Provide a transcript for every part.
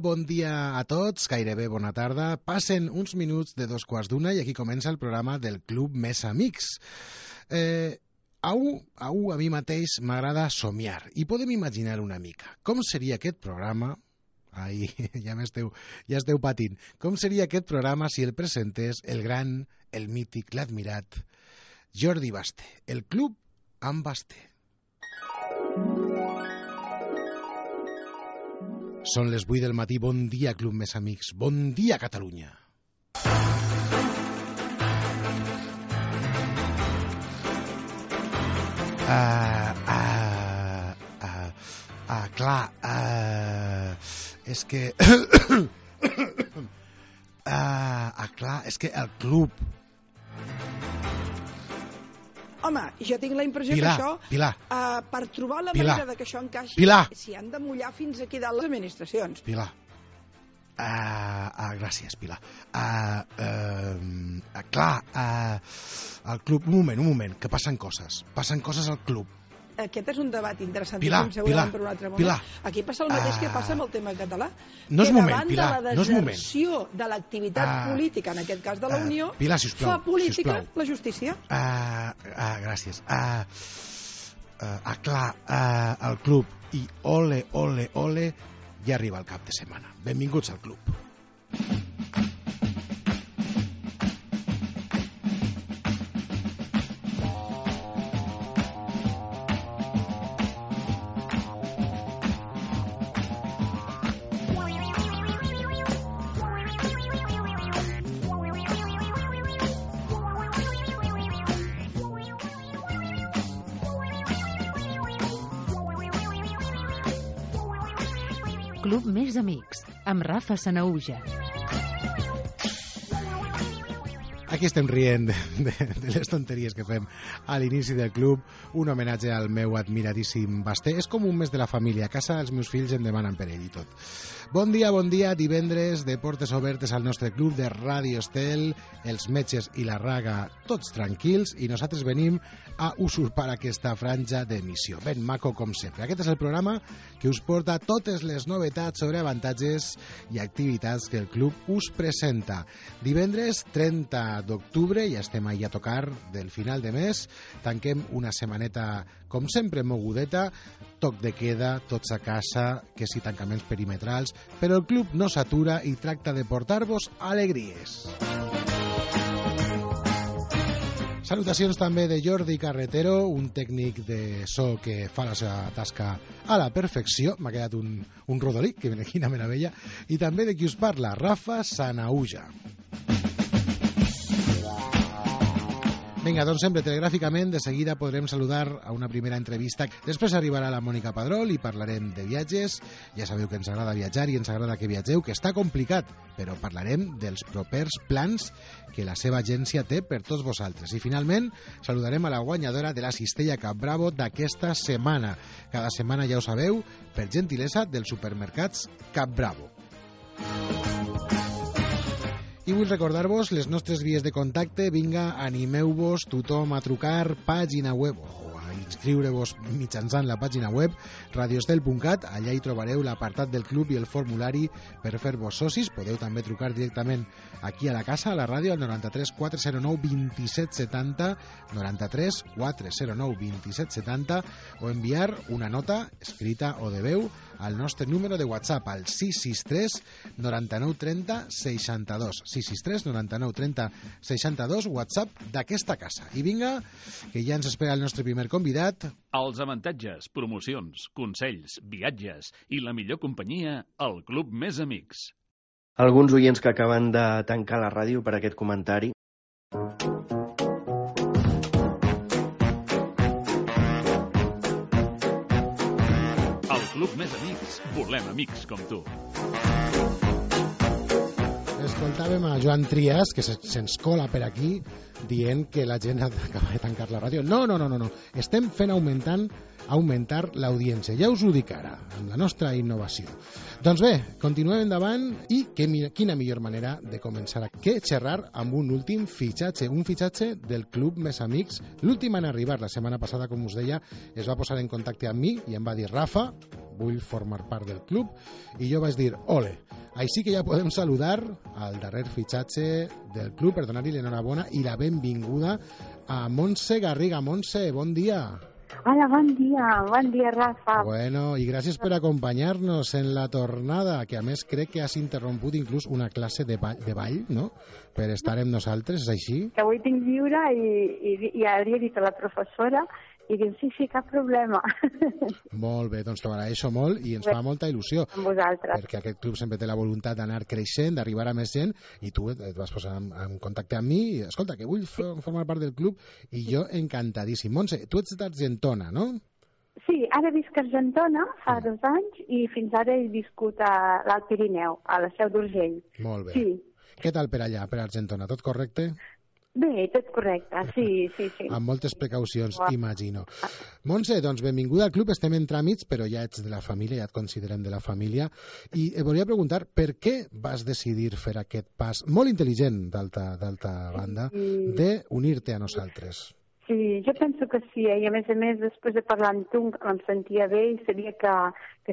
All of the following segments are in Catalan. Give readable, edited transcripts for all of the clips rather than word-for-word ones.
bon dia a tots, gairebé bona tarda. Passen uns minuts de 2:15 i aquí comença el programa del Club Més Amics. A mi mateix m'agrada somiar i podem imaginar una mica com seria aquest programa. Ai, ja esteu patint. Com seria aquest programa si el presentés el gran, el mític, l'admirat Jordi Basté, el Club amb Basté. Són les 8 del matí. Bon dia, Club Més Amics. Bon dia, Catalunya. És que... és que el club... Home, jo tinc la impressió que això, per trobar la manera de que això encaixi, s'hi han de mullar fins aquí dalt les administracions. Pilar. Gràcies, Pilar. El club... Un moment, que passen coses. Passen coses al club. Aquest és un debat interessant. Pilar. Aquí passa el mateix que passa amb el tema català. No és moment, Pilar, davant de la deserció de l'activitat política, en aquest cas de la Unió, Pilar, sisplau, fa política la justícia. Gràcies. El club i ole, ja arriba el cap de setmana. Benvinguts al club. Club Més Amics, amb Rafa Sanahuja. Aquí estem rient de les tonteries que fem a l'inici del club. Un homenatge al meu admiradíssim Basté. És com un mes de la família. A casa els meus fills em demanen per ell i tot. Bon dia, divendres de portes obertes al nostre club de Ràdio Estel, els metges i la raga tots tranquils, i nosaltres venim a usurpar aquesta franja d'emissió. Ben maco com sempre. Aquest és el programa que us porta totes les novetats sobre avantatges i activitats que el club us presenta. Divendres 30 d'octubre, ja estem ahí a tocar del final de mes, tanquem una setmaneta com sempre mogudeta, toc de queda, tots a casa, que si tancaments perimetrals, però el club no s'atura i tracta de portar-vos alegries. Salutacions també de Jordi Carretero, un tècnic de so que fa la seva tasca a la perfecció. M'ha quedat un rodolí, que quina meravella. I també de qui us parla, Rafa Sanahuja. Vinga, doncs sempre telegràficament, de seguida podrem saludar a una primera entrevista. Després arribarà la Mònica Padrol i parlarem de viatges. Ja sabeu que ens agrada viatjar i ens agrada que viatgeu, que està complicat, però parlarem dels propers plans que la seva agència té per tots vosaltres. I finalment saludarem a la guanyadora de la cistella Cap Bravo d'aquesta setmana. Cada setmana, ja ho sabeu, per gentilesa dels supermercats Cap Bravo. I vull recordar-vos les nostres vies de contacte. Vinga, animeu-vos tothom a trucar, pàgina web o a inscriure-vos mitjançant la pàgina web radioestel.cat. Allà hi trobareu l'apartat del club i el formulari per fer-vos socis. Podeu també trucar directament aquí a la casa, a la ràdio, al 93 409 2770, 93 409 2770, o enviar una nota escrita o de veu al nostre número de WhatsApp, al 663 99 30 62. 663 99 30 62, WhatsApp d'aquesta casa. I vinga, que ja ens espera el nostre primer convidat. Els avantatges, promocions, consells, viatges i la millor companyia al Club Més Amics. Alguns oients que acaben de tancar la ràdio per aquest comentari. Club Més Amics, volem amics com tu. Escoltàvem a Joan Trias, que se'ns cola per aquí, dient que la gent acaba de tancar la ràdio. No. Estem fent augmentar l'audiència. Ja us ho dic ara, amb la nostra innovació. Doncs bé, continuem endavant i quina millor manera de començar que xerrar amb un últim fitxatge, un fitxatge del Club Més Amics. L'últim en arribar, la setmana passada, com us deia, es va posar en contacte amb mi i em va dir: Rafa, vull formar part del club, i jo vaig dir ole. Així que ja podem saludar al darrer fitxatge del club per donar-li l'enhorabona i la benvinguda a Montse Garriga. Montse, bon dia. Hola, bon dia, Rafa. Bueno, i gràcies per acompanyar-nos en la tornada, que a més crec que has interromput inclús una classe de ball, no?, per estar amb nosaltres, és així? Que avui tinc lliure i hauria dit a la professora i diu, sí, cap problema. Molt bé, doncs t'ho agraeixo molt i ens fa molta il·lusió. Amb vosaltres. Perquè aquest club sempre té la voluntat d'anar creixent, d'arribar a més gent, i tu et vas posar en contacte amb mi i, escolta, que vull formar part del club, i jo encantadíssim. Montse, tu ets d'Argentona, no? Sí, ara visc a Argentona fa 2 anys i fins ara he viscut a l'Alt Pirineu, a la Seu d'Urgell. Molt bé. Sí. Què tal per allà, per Argentona? Tot correcte? Bé, tot correcte, sí. Amb moltes precaucions, imagino. Montse, doncs benvinguda al club, estem en tràmits, però ja ets de la família, ja et considerem de la família, i volia preguntar per què vas decidir fer aquest pas, molt intel·ligent d'alta banda, d'unir-te a nosaltres? Sí, jo penso que sí, i a més, després de parlar amb tu em sentia bé i sabia que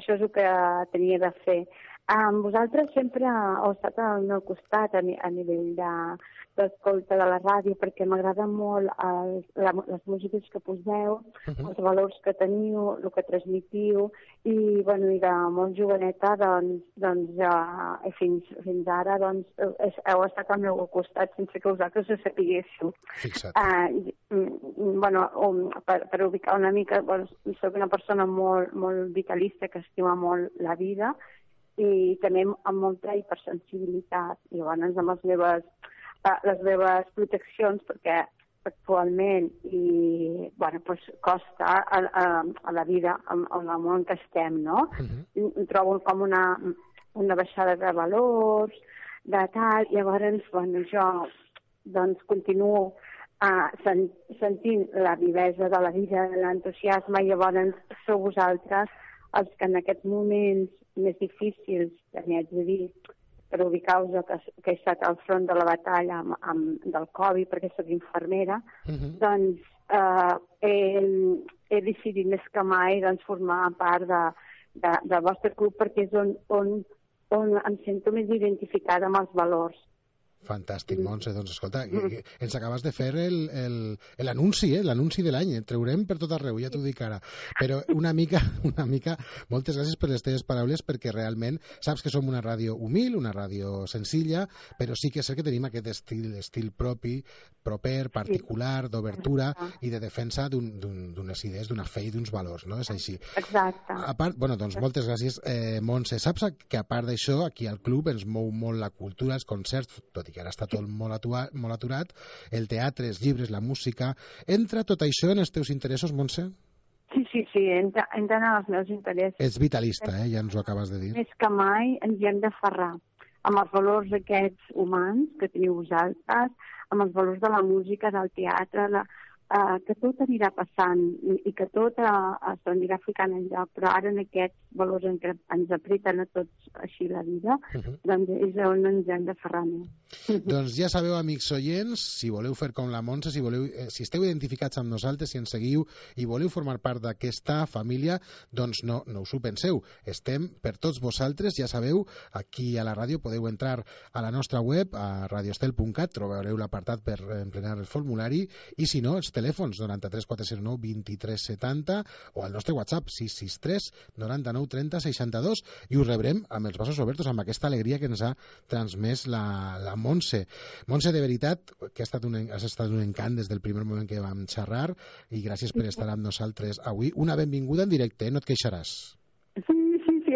això és el que tenia de fer. Vosaltres sempre heu estat al meu costat a nivell d'escolta de la ràdio, perquè m'agrada molt les músiques que poseu, els valors que teniu, el que transmitiu, i de molt joveneta, fins ara, heu estat al meu costat sense que vosaltres ho sapiguéssiu. Per ubicar una mica, soc una persona molt vitalista, que estima molt la vida, i també amb molta hipersensibilitat. I llavors amb les meves proteccions, perquè actualment costa a la vida, en el món que estem, no? Trobo com una baixada de valors, de tal, llavors jo continuo sentint la vivesa de la vida, l'entusiasme, i llavors sou vosaltres els que en aquests moments més difícils, també haig de dir, per ubicar-vos que he estat al front de la batalla del Covid, perquè soc infermera, doncs he decidit més que mai formar part del vostre club, perquè és on em sento més identificada amb els valors. Fantàstic, Montse. Doncs escolta, ens acabes de fer l'anunci, l'anunci de l'any. Et traurem per tot arreu, ja t'ho dic ara. Però una mica, moltes gràcies per les teves paraules, perquè realment saps que som una ràdio humil, una ràdio senzilla, però sí que és cert que tenim aquest estil propi, proper, particular, d'obertura i de defensa d'unes idees, d'una fe i d'uns valors, no? És així. Exacte. A part, doncs moltes gràcies, Montse. Saps que a part d'això, aquí al club ens mou molt la cultura, els concerts, tot i que ara està tot molt aturat, el teatre, els llibres, la música. Entra tot això en els teus interessos, Montse? Sí, entra en els meus interessos. Ets vitalista, ja ens ho acabes de dir. Més que mai ens hi hem d'aferrar amb els valors aquests humans que teniu vosaltres, amb els valors de la música, del teatre, que tot anirà passant i que tot s'anirà ficant en lloc, però ara en aquests valors en què ens apreten a tots així la vida, doncs és on ens hem d'aferrar més. Doncs ja sabeu, amics oients, si voleu fer com la Montse, si esteu identificats amb nosaltres, si ens seguiu i voleu formar part d'aquesta família, doncs no us ho penseu. Estem per tots vosaltres, ja sabeu, aquí a la ràdio podeu entrar a la nostra web, a radiostel.cat, trobareu l'apartat per emplenar el formulari, i si no, els telèfons 93 409 23 70 o el nostre WhatsApp 663 99 30 62, i us rebrem amb els braços oberts, amb aquesta alegria que ens ha transmès la Montse. Montse, de veritat, que has estat un encant des del primer moment que vam xerrar, i gràcies per estar amb nosaltres avui. Una benvinguda en directe, no et queixaràs. Sí,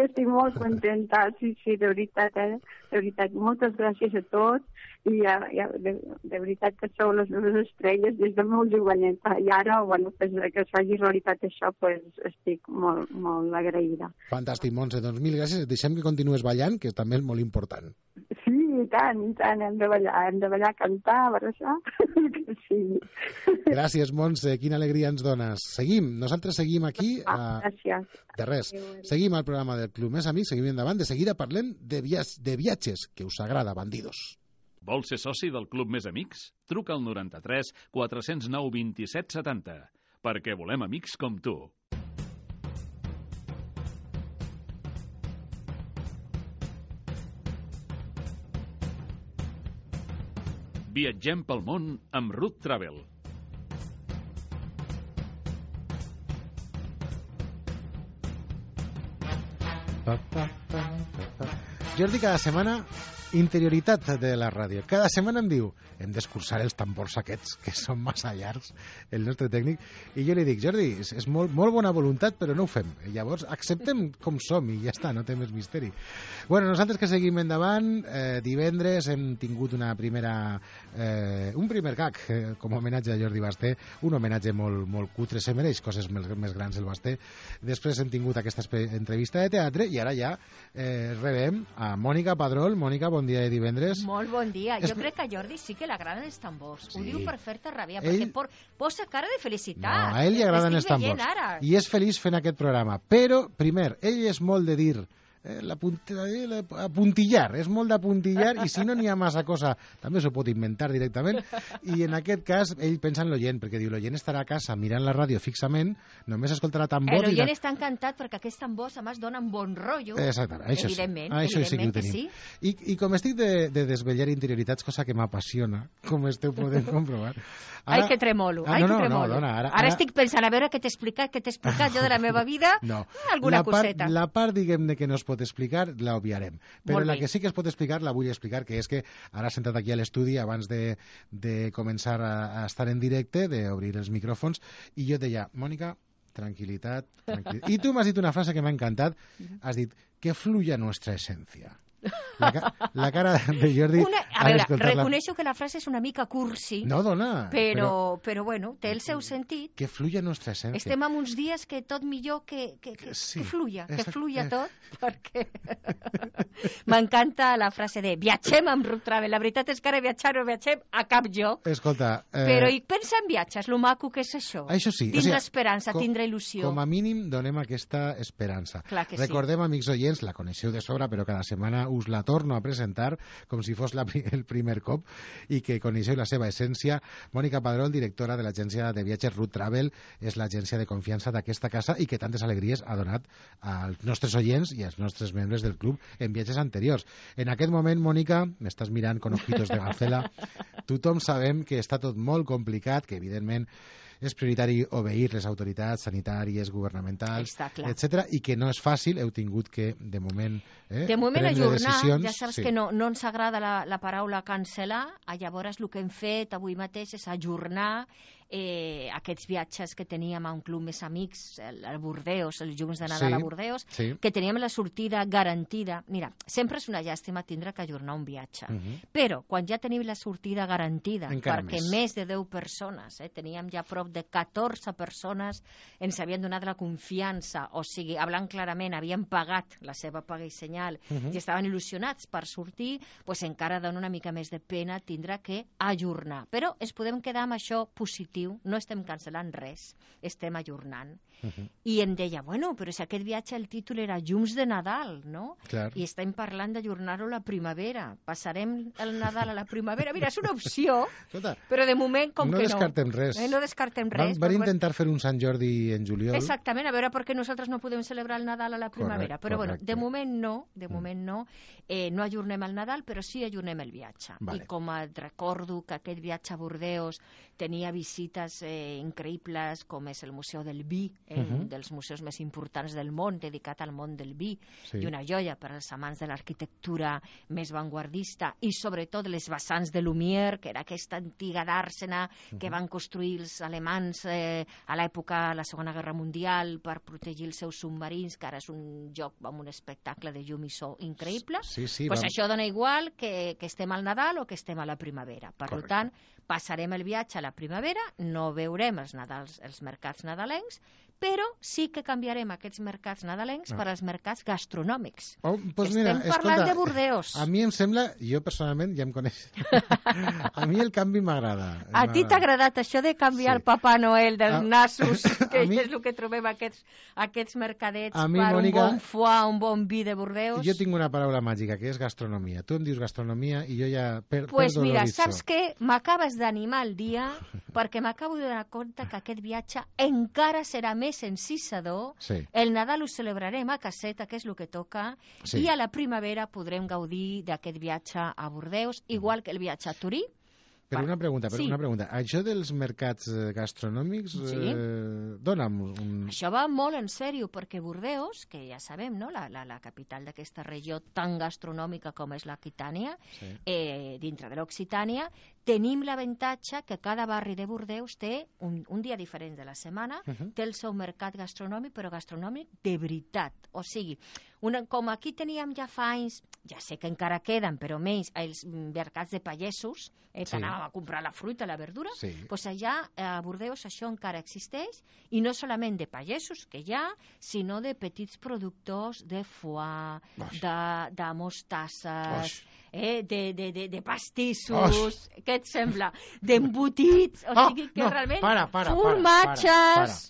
estic molt contenta, sí, de veritat, de veritat. Moltes gràcies a tots, i de veritat que sou les meves estrelles des de molt joveneta, i ara, que es faci realitat això, estic molt, molt agraïda. Fantàstic, Montse, doncs mil gràcies, et deixem que continues ballant, que també és molt important. Sí, i tant, hem de ballar, cantar, abraçar, que sí. Gràcies, Montse, quina alegria ens dones. Nosaltres seguim aquí. Gràcies. De res, seguim al programa del Club Més Amics, seguim endavant, de seguida parlem de viatges, que us agrada, bandidos. Vols ser soci del Club Més Amics? Truca al 93 409 27 70, perquè volem amics com tu. Viatgem pel món amb Ruth Travel. Jordi, cada setmana, interioritat de la ràdio. Cada setmana em diu, hem d'escurçar els tambors aquests, que són massa llargs, el nostre tècnic, i jo li dic, Jordi, és molt bona voluntat, però no ho fem. Llavors, acceptem com som i ja està, no té més misteri. Bueno, nosaltres que seguim endavant, divendres hem tingut un primer gag, com a homenatge a Jordi Basté, un homenatge molt cutre, se mereix coses més grans el Basté. Després hem tingut aquesta entrevista de teatre i ara ja rebem a Mònica Padrol. Mònica, bon dia de divendres. Molt bon dia. Jo crec que a Jordi sí que l'agraden els tambors. Ho diu per fer-te ràbia, perquè posa cara de felicitat. No, a ell li agraden els tambors. I és feliç fent aquest programa. Però, primer, ell és molt de dir apuntillar, és molt d'apuntillar, i si no n'hi ha massa cosa també s'ho pot inventar directament, i en aquest cas ell pensa en l'oient, perquè diu l'oient estarà a casa mirant la ràdio fixament, només escoltarà tambor. L'oient està encantat perquè aquests tambors a més donen bon rotllo. Exactament, això evidentment, sí, això sí que ho tenim. Sí. I com estic de desvetllar interioritats, cosa que m'apassiona, com esteu podent comprovar. Ai, que tremolo, dona, ara estic pensant a veure què t'he explicat jo de la meva vida, alguna coseta. La part, diguem-ne, que no es pot explicar, la obviarem. Però la que sí que es pot explicar, la vull explicar, que és que ara sentat aquí a l'estudi, abans de començar a estar en directe, d'obrir els micròfons, i jo deia, Mònica, tranquil·litat. I tu m'has dit una frase que m'ha encantat, has dit, que fluya nuestra esencia. La cara de Jordi... A veure, reconeixo que la frase és una mica cursi. No, dona. Però bueno, té el seu sentit. Que fluya nuestra esencia. Estem en uns dies que tot millor que fluya, que fluya tot, perquè m'encanta la frase de viatgem amb Ruth Travel. La veritat és que ara no viatgem a cap lloc. Escolta... Però pensa en viatges, lo maco que és això. Això sí. Tindre esperança, tindre il·lusió. Com a mínim donem aquesta esperança. Recordem, amics oients, la coneixeu de sobre, però cada setmana us la torno a presentar com si fos el primer cop, i que coneixeu la seva essència. Mònica Padrol, directora de l'agència de viatges Ruth Travel, és l'agència de confiança d'aquesta casa i que tantes alegries ha donat als nostres oients i als nostres membres del club en viatges anteriors. En aquest moment, Mònica, m'estàs mirant con ojitos de gacela, tothom sabem que està tot molt complicat, que evidentment és prioritari obeir les autoritats sanitàries, governamentals, etc. I que no és fàcil, heu tingut que, de moment, prendre decisions. Ja saps que no ens agrada la paraula cancel·lar, llavors el que hem fet avui mateix és ajornar aquests viatges que teníem a un club més amics, a Bordeus, els llums de Nadal a Bordeus, que teníem la sortida garantida. Mira, sempre és una llàstima tindre que ajornar un viatge, però quan ja tenim la sortida garantida, perquè més de 10 persones, teníem ja prop de 14 persones, ens havien donat la confiança, o sigui, hablant clarament, havien pagat la seva paga i senyal i estaven il·lusionats per sortir, doncs encara dona una mica més de pena tindre que ajornar. Però es podem quedar amb això positiu. No estem cancel·lant res, estem ajornant. I em deia, bueno, però si aquest viatge el títol era Llums de Nadal, no? I estem parlant d'ajornar-ho a la primavera. Passarem el Nadal a la primavera. Mira, és una opció, però de moment com que no. No descartem res. No descartem res. Van intentar fer un Sant Jordi en juliol. Exactament, a veure per què nosaltres no podem celebrar el Nadal a la primavera. Però bueno, de moment no. No ajornem el Nadal, però sí ajornem el viatge. I com et recordo que aquest viatge a Bordeus tenia visites increïbles, com és el Museu del Vi, un dels museus més importants del món, dedicat al món del vi, i una joia per als amants de l'arquitectura més vanguardista, i sobretot les vessants de Lumière, que era aquesta antiga dàrsena que van construir els alemans a l'època de la Segona Guerra Mundial per protegir els seus submarins, que ara és un joc amb un espectacle de llum i so increïble. Això dona igual que estem al Nadal o que estem a la primavera. Per tant, passarem el viatge a la primavera, no veurem els mercats nadalencs, però sí que canviarem aquests mercats nadalencs per als mercats gastronòmics. Estem parlant de Bordeus. A mi em sembla, jo personalment ja em coneix, a mi el canvi m'agrada. A ti t'ha agradat això de canviar el Papà Noel dels nassos, que és el que trobem aquests mercadets per un bon foie, un bon vi de Bordeus? Jo tinc una paraula màgica, que és gastronomia. Tu em dius gastronomia i jo ja perdo l'horitzó. Doncs mira, saps què? M'acabes d'animar el dia, perquè m'acabo de donar compte que aquest viatge encara serà més encisador. El Nadal ho celebrarem a caseta, que és el que toca, i a la primavera podrem gaudir d'aquest viatge a Bordeus, igual que el viatge a Torí, Però una pregunta, això dels mercats gastronòmics, dona'm un... Això va molt en sèrio, perquè Bordeus, que ja sabem, no?, la capital d'aquesta regió tan gastronòmica com és l'Aquitània, dintre de l'Occitània, tenim l'avantatge que cada barri de Bordeus té un dia diferent de la setmana, té el seu mercat gastronòmic, però gastronòmic de veritat. O sigui, com aquí teníem ja fa anys, ja sé que encara queden, però menys, els mercats de pagesos, que anàvem a comprar la fruita, la verdura, doncs allà a Bordeus això encara existeix, i no solament de pagesos, que hi ha, sinó de petits productors de foie, de mostasses, de pastissos, què et sembla? D'embotits, o sigui que realment formatges,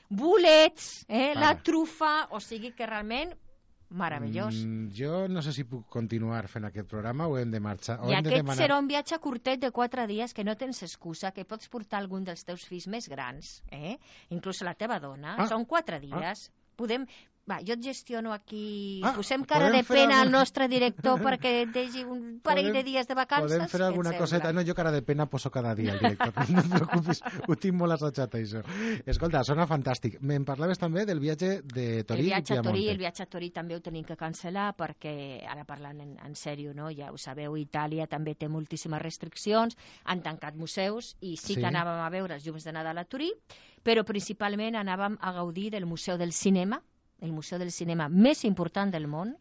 bolets, la trufa, o sigui que realment meravellós. Jo no sé si puc continuar fent aquest programa o hem de marxar. I aquest serà un viatge curtet de 4 dies que no tens excusa, que pots portar algun dels teus fills més grans, inclús la teva dona. Són 4 dies. Podem... Va, jo et gestiono aquí... Posem cara de pena al nostre director perquè et deixi un parell de dies de vacances. Podem fer alguna coseta? No, jo cara de pena poso cada dia, el director. No et preocupis, ho tinc molt assajat, això. Escolta, sona fantàstic. Me'n parlaves també del viatge de Torí i Piamonte. El viatge a Torí també ho tenim que cancel·lar perquè, ara parlant en sèrio, no? Ja ho sabeu, Itàlia també té moltíssimes restriccions, han tancat museus i sí que anàvem a veure els llums de Nadal a Torí, però principalment anàvem a gaudir del Museu del Cinema, el museu del cinema més important del món,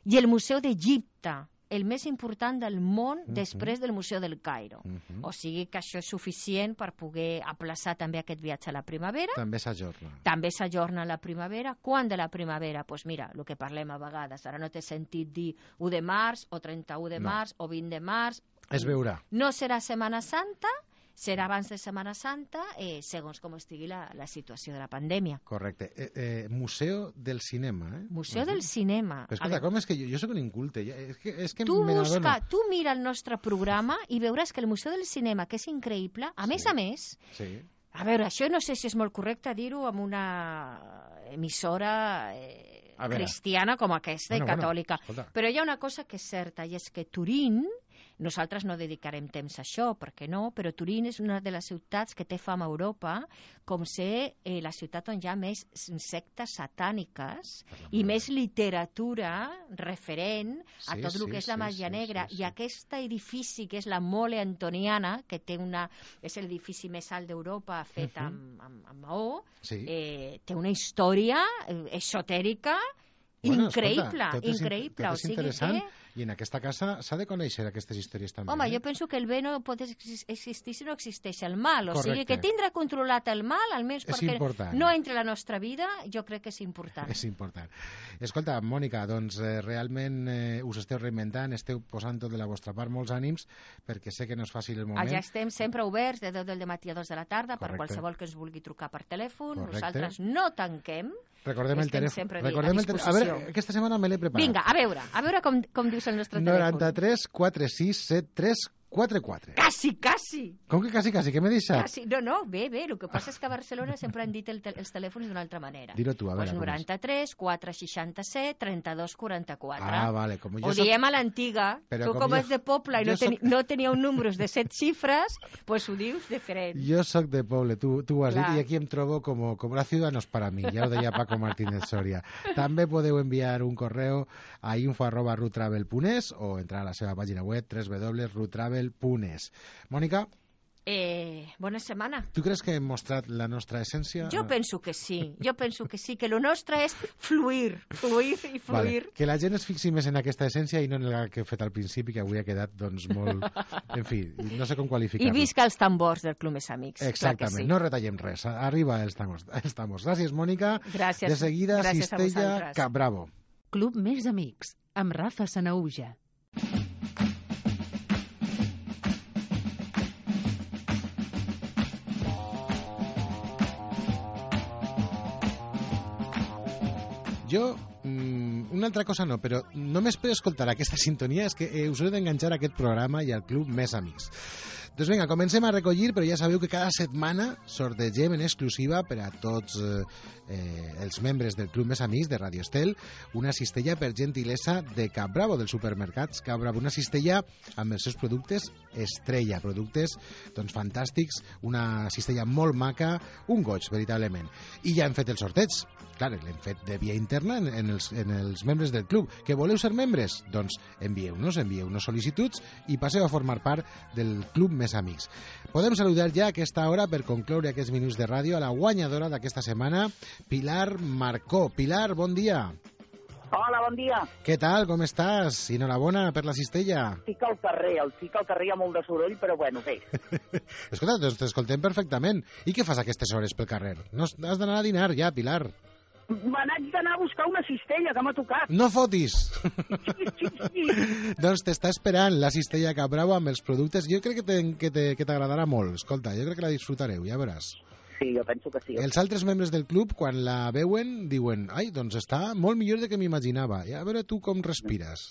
i el Museu d'Egipte, el més important del món després del Museu del Cairo. O sigui que això és suficient per poder aplaçar també aquest viatge a la primavera. També s'ajorna. També s'ajorna a la primavera. Quan de la primavera? Doncs mira, el que parlem a vegades. Ara no té sentit dir 1 de març, o 31 de març, o 20 de març. Es veurà. No serà Setmana Santa, serà abans de Setmana Santa, segons com estigui la situació de la pandèmia. Correcte. Museu del Cinema, Museu del Cinema. Però escolta, com és que jo soc un inculte? És que tu mira el nostre programa i veuràs que el Museu del Cinema, que és increïble, a més, a veure, això no sé si és molt correcte dir-ho amb una emissora cristiana com aquesta i catòlica, però hi ha una cosa que és certa, i és que Turín, nosaltres no dedicarem temps a això, perquè no, però Turín és una de les ciutats que té fama a Europa com ser la ciutat on hi ha més sectes satàniques i més literatura referent a tot el que és la màgia negra. I aquest edifici, que és la Mole Antoniana, que és l'edifici més alt d'Europa fet amb maó, té una història esotèrica increïble. Tot és interessant. I en aquesta casa s'ha de conèixer aquestes històries també. Home, jo penso que el bé no pot existir si no existeix el mal. O sigui, que tindre controlat el mal, almenys perquè no entra a la nostra vida, jo crec que és important. És important. Escolta, Mònica, doncs realment us esteu reinventant, esteu posant tot de la vostra part, molts ànims, perquè sé que no és fàcil el moment. Ja estem sempre oberts de 10 del matí a 2 de la tarda per qualsevol que ens vulgui trucar per telèfon. Nosaltres no tanquem. Recordem el telèfon. A veure, aquesta setmana me l'he preparat. Vinga, a veure com dius el nostre telèfon. 93 46 73 44. Quasi. Com que quasi? Què m'he deixat? No, bé, el que passa és que a Barcelona sempre han dit els telèfons d'una altra manera. Dilo tu, a veure. 93 467 32 44. Vale. Ho diem a l'antiga. Tu com és de poble i no teníeu números de 7 xifres, doncs ho dius diferent. Jo sóc de poble, tu ho has dit, i aquí em trobo com la ciudad no és para mí, ja ho deia Paco Martínez Soria. També podeu enviar un correu a info@rutravel.es o entrar a la seva pàgina web www.rutravel.es. Mònica? Bona setmana. Tu creus que hem mostrat la nostra essència? Jo penso que sí, que el nostre és fluir. Vale. Que la gent es fixi més en aquesta essència i no en el que he fet al principi, que avui ha quedat doncs molt... En fi, no sé com qualificar-ho. I visca els tambors del Club Més Amics. Exactament, no retallem res, arriba els tambors. Gràcies, Mònica. Gràcies. De seguida, Cistella Capbravo. Club Més Amics, amb Rafa Sanaúja. Jo, una altra cosa no, però només per escoltar aquesta sintonia és que us heu d'enganxar a aquest programa i al Club Més Amics. Doncs vinga, comencem a recollir, però ja sabeu que cada setmana sortegem en exclusiva per a tots els membres del Club Més Amics de Radio Estel una cistella per gentilesa de Cap Bravo, dels supermercats Cap Bravo, una cistella amb els seus productes estrella, productes doncs fantàstics, una cistella molt maca, un goig, veritablement. I ja hem fet el sorteig. Clar, l'hem fet de via interna en els membres del club. Que voleu ser membres? Doncs envieu-nos sol·licituds i passeu a formar part del Club Més Amics. Podem saludar ja a aquesta hora, per concloure aquests minuts de ràdio, a la guanyadora d'aquesta setmana, Pilar Marcó. Pilar, bon dia. Hola, bon dia. Què tal, com estàs? Enhorabona per la cistella. Estic al carrer hi ha molt de soroll, però bueno, bé. Escolta, doncs t'escoltem perfectament. I què fas a aquestes hores pel carrer? No has d'anar a dinar ja, Pilar. Me n'haig d'anar a buscar una cistella que m'ha tocat. No fotis! Sí. Doncs t'està esperant la cistella Cap Bravo amb els productes. Jo crec que t'agradarà molt. Escolta, jo crec que la disfrutareu, ja veuràs. Sí, jo penso que sí. Els altres membres del club, quan la veuen, diuen ai, doncs està molt millor del que m'imaginava. Ja a veure tu com respires.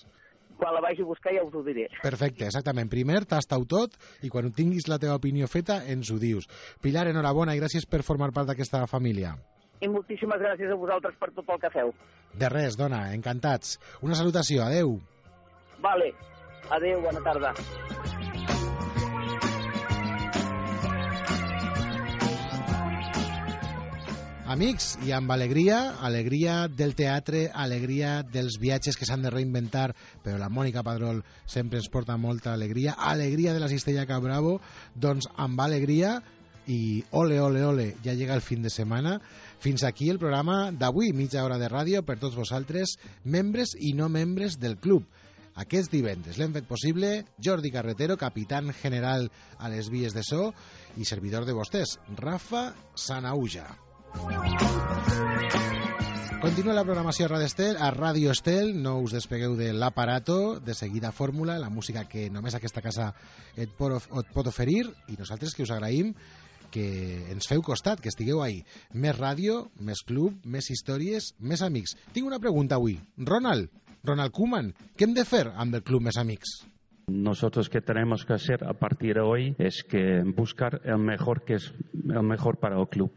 Quan la vagi a buscar ja us ho diré. Perfecte, exactament. Primer tasta-ho tot i quan tinguis la teva opinió feta ens ho dius. Pilar, enhorabona i gràcies per formar part d'aquesta família. I moltíssimes gràcies a vosaltres per tot el que feu. De res, dona, encantats. Una salutació, adeu. Vale, adeu, bona tarda. Amics, i amb alegria, alegria del teatre, alegria dels viatges que s'han de reinventar, però la Mònica Padrol sempre ens porta molta alegria, alegria de la cistella Cap Bravo, doncs amb alegria i ole, ole, ole, ja llega el fin de setmana. Fins aquí el programa d'avui, mitja hora de ràdio per tots vosaltres, membres i no membres del club. Aquest divendres l'hem fet possible Jordi Carretero, capitán general a les vies de so, i servidor de vostès, Rafa Sanauja. Continua la programació a Radio Estel, no us despegueu de l'aparato, de seguida fórmula, la música que només aquesta casa et pot oferir, i nosaltres que us agraïm que ens feu costat, que estigueu ahí. Més ràdio, més club, més històries, més amics. Tinc una pregunta avui. Ronald Koeman, què hem de fer amb el Club Més Amics? Nosotros que tenemos que hacer a partir de hoy es que buscar el mejor que es el mejor para el club.